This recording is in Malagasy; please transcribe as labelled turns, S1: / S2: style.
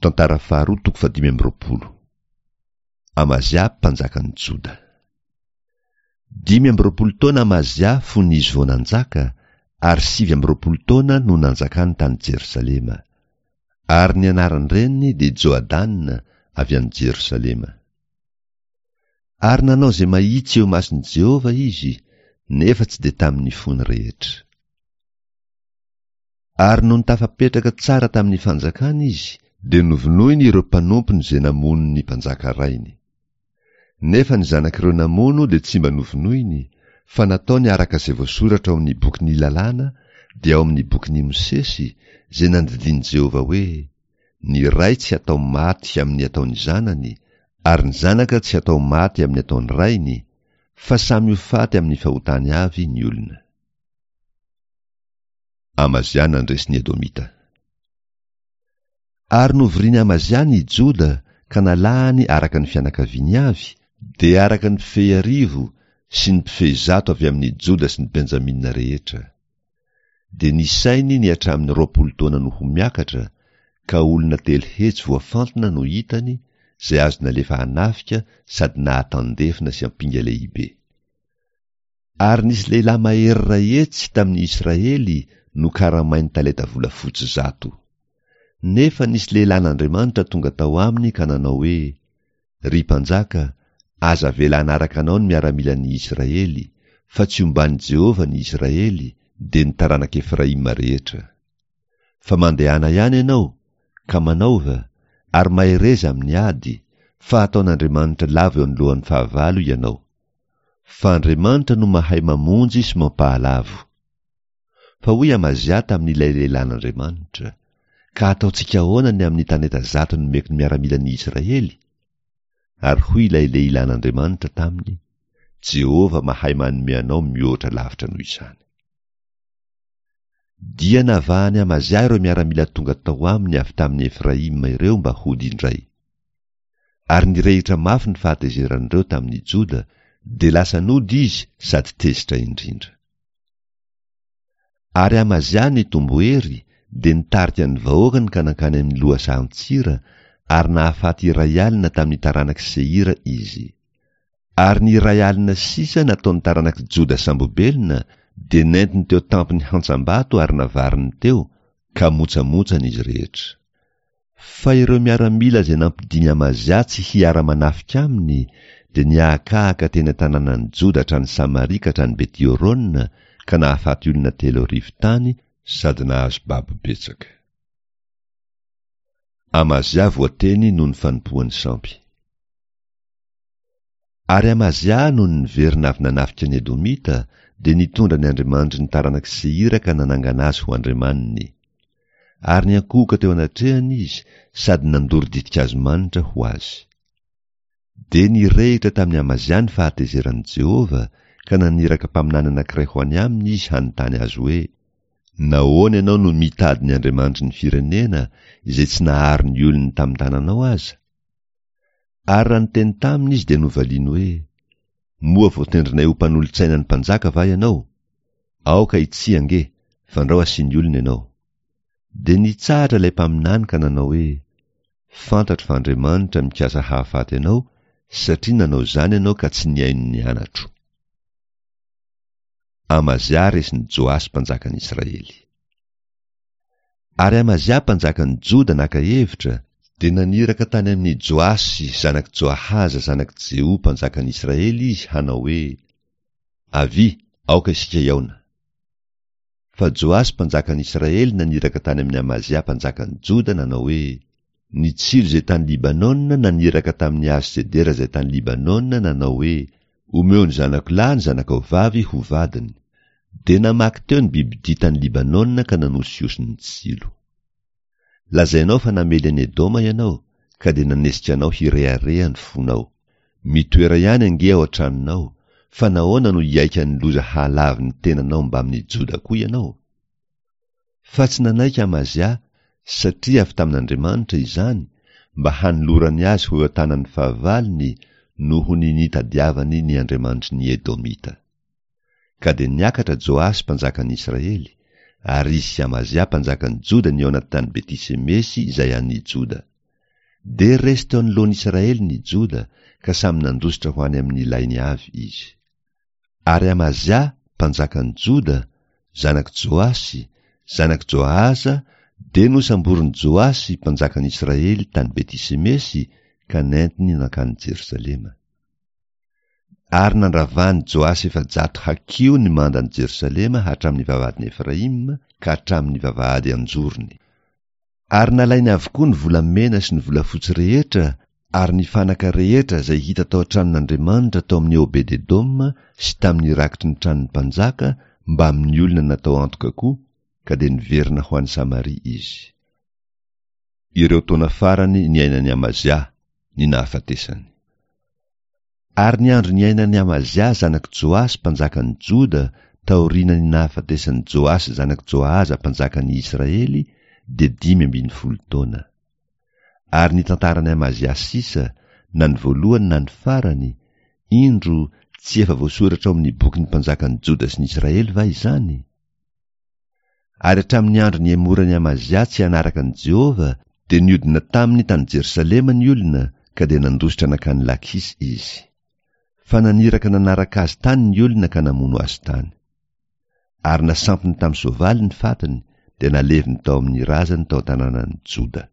S1: Tantara faharoa toko fahadimy amby roapolo. Amazia mpanjakan'i Joda. 25 taona Amazia fony izy vao nanjaka, ary 29 taona no nanjakany tany Jerosalema. Ary ny anaran-dreniny dia Joadana avy any Jerosalema. Ary nanao izay mahitsy eo imason'i Jehovah izy, nefa tsy dia tamin'ny fony rehetra. Ary nony tafapetraka tsara tamin'ny fanjakany izy, dia novonoiny ireo mpanompony izay namono ny mpanjaka rainy. Nefa ny zanak'ireo namono dia tsy mba novonoiny, fa nataony araka izay voasoratra ao amin'ny bokin'ny lalàna, dia ao amin'ny bokin'i Mosesy, izay nandidian'i Jehovah hoe, Ny ray tsy hatao maty amin'ny ataon'ny zanany, ary ny zanaka tsy hatao maty amin'ny ataon'ny rainy, fa samy ho faty amin'ny fahotany avy ny olona. Amazia nandresy ny Edomita. Ary novorian'i Amazia ny Joda ka nalahany araka ny fianakaviany avy, dia araka ny mpifehy arivo sy ny mpifehy zato avy amin'ny Joda sy ny Benjamina rehetra. Dia nisainy ny hatramin'ny 20 taona no ho miakatra, ka olona 300 voafantina no hitany, izay azo nalefa hanafika sady nahatandefona sy ampinga lehibe. Ary nisy lehilahy mahery 100 tamin'ny Israely nokaramainy talenta volafotsy 100. Nefa nisy lehilahin'Andriamanitra tonga tao aminy ka nanao hoe, Ry mpanjaka, aza avela hanaraka anao ny miaramilan'ny Israely, fa tsy omban'i Jehovah ny Israely, dia ny taranak'i Efraima rehetra. Fa mandehana ihany ianao, ka manaova, ary mahereza amin'ny ady, fa hataon'Andriamanitra lavo eo anoloan'ny fahavalo ianao. Fa Andriamanitra no mahay mamonjy sy mampahalavo. Fa hoy Amazia tamin'ilay lehilahin'Andriamanitra, Ka hataontsika ahoana ny amin'ny talenta 100 nomeko ny miaramilan'ny Israely? Ary hoy ilay lehilahin'Andriamanitra taminy, Jehovah mahay manome anao mihoatra lavitra noho izany. Dia navahan'i Amazia ireo miaramila tonga tao aminy avy tamin'i Efraima ireo mba hody indray. Ary nirehitra mafy ny fahatezeran'ireo tamin'i Joda, dia lasa nody izy sady tezitra indrindra. Ary Amazia nitombo hery, dia nitarika ny vahoakany ka nankany amin'ny lohasahan-tsira, ary nahafaty 1000 tamin'ny taranak'i Seira izy. Ary ny 1000 sisa nataon'ny taranak'i Joda sambobelona dia nentiny teo tampon'ny hantsam-bato ary navariny teo, ka motsamotsana izy rehetra. Fa ireo miaramila izay nampidin'i Amazia tsy hiara-manafika aminy dia nihahakahaka teny an-tanànan'i Joda hatrany Samaria ka hatrany Beti-Horona ka nahafaty olona 3000 tany sady nahazo babo betsaka. Amazia voateny noho ny fanompoany sampy. Ary Amazia nony niverina avy nanafika ny Edomita dia nitondra ny andriamanitry ny taranak'i Seira ka nanangana azy ho andriamaniny. Ary niankohoka teo anatrehany izy sady nandoro ditin-kazo manitra ho azy. Dia nirehitra tamin'i Amazia ny fahatezeran'i Jehovah ka naniraka mpaminany anankiray ho any aminy izy hanontany azy hoe, Nahoana ianao no mitady ny andriamanitry ny firenena izay tsy nahary ny olony tamin'ny tananao aza? Ary raha niteny taminy izy dia novaliany hoe, Moa voatendrinay ho mpanolotsaina ny mpanjaka va ianao? Aoka hitsia ange, fandrao asiany olona ianao. Dia nitsahatra ilay mpaminany ka nanao hoe, Fantatro fa Andriamanitra mikasa hahafaty anao, satria nanao izany ianao ka tsy nihaino ny anatro. Amazia resin'i Joasy mpanjakan'Israely. Ary Amazia mpanjakan'i Joda naka hevitra, dia naniraka tany amin'i Joasy zanak'i Joahaza zanak'i Jeho mpanjakan'i Israely izy hanao hoe, Avia, aoka isika hihaona. Fa Joasy mpanjakan'i Israely naniraka tany amin'i Amazia mpanjakan'i Joda nanao hoe, Ny tsilo izay tany Libanona naniraka tamin'ny hazo sedera izay tany Libanona nanao hoe, Omeo ny zanako lahy ny zanakao vavy ho vadiny. Dia namaky teo ny bibidia tany Libanona ka nanosihosy ny tsilo. Lazainao fa namely an'i Edoma ianao, ka dia nanesika anao hirehareha ny fonao. Mitoera ihany ange ao an-tranonao, fa nahoana no hihaika ny loza hahalavo ny tenanao mbamin'i Joda koa ianao? Fa tsy nanaiky Amazia, satria avy tamin'Andriamanitra izany, mba hanolorany azy ho eo an-tanan'ny fahavalony noho ny nitadiavany ny andriamanitry ny Edomita. Ka dia niakatra Joasy mpanjakan'ny Israely, ary izy sy Amazia mpanjakan'i Joda nihaona tany Beti-semesy izay an'i Joda. Dia resy teo anoloan'i Israely ny Joda, ka samy nandositra ho any amin'ny lainy avy izy. Ary Amazia, mpanjakan'i Joda, zanak'i Joasy, zanak'i Joahaza, dia nosamborin'i Joasy, mpanjakan'i Israely, tany Beti-semesy, ka nentiny nankany Jerosalema. Ary nandravan'i Joasy 400 hakiho ny mandan'i Jerosalema hatramin'ny vavahadin'i Efraima ka hatramin'ny vavahady an-jorony. Ary nalainy avokoa ny volamena sy ny volafotsy rehetra ary ny fanaka rehetra izay hita tao an-tranon'Andriamanitra tao amin'i Obed-edoma sy tamin'ny rakitry ny tranon'ny mpanjaka mbamin'ny olona natao antoka koa, ka dia niverina ho any Samaria izy. Ireo taona farany niainan'i Amazia, ny nahafatesany. Ary ny andro niainan'i Amazia zanak'i Joasy mpanjakan'i Joda taorianan'ny nahafatesan'i Joasy zanak'i Joahaza mpanjakan'i Israely dia 15 taona. Ary ny tantaran'i Amazia sisa, na ny voalohany na ny farany, indro, tsy efa voasoratra ao amin'ny bokin'ny mpanjakan'i Joda sy ny Israely va izany? Ary hatramin'ny andro nihemoran'i Amazia tsy hanaraka an'i Jehovah, dia niodina taminy tany Jerosalema ny olona, ka dia nandositra nankany Lakisy izy. Fa naniraka nanaraka azy tany ny olona ka namono azy tany. Ary nasampiny tamin'ny soavaly ny fatiny, dia naleviny tao amin'ny razany tao an-tanànan'i Joda.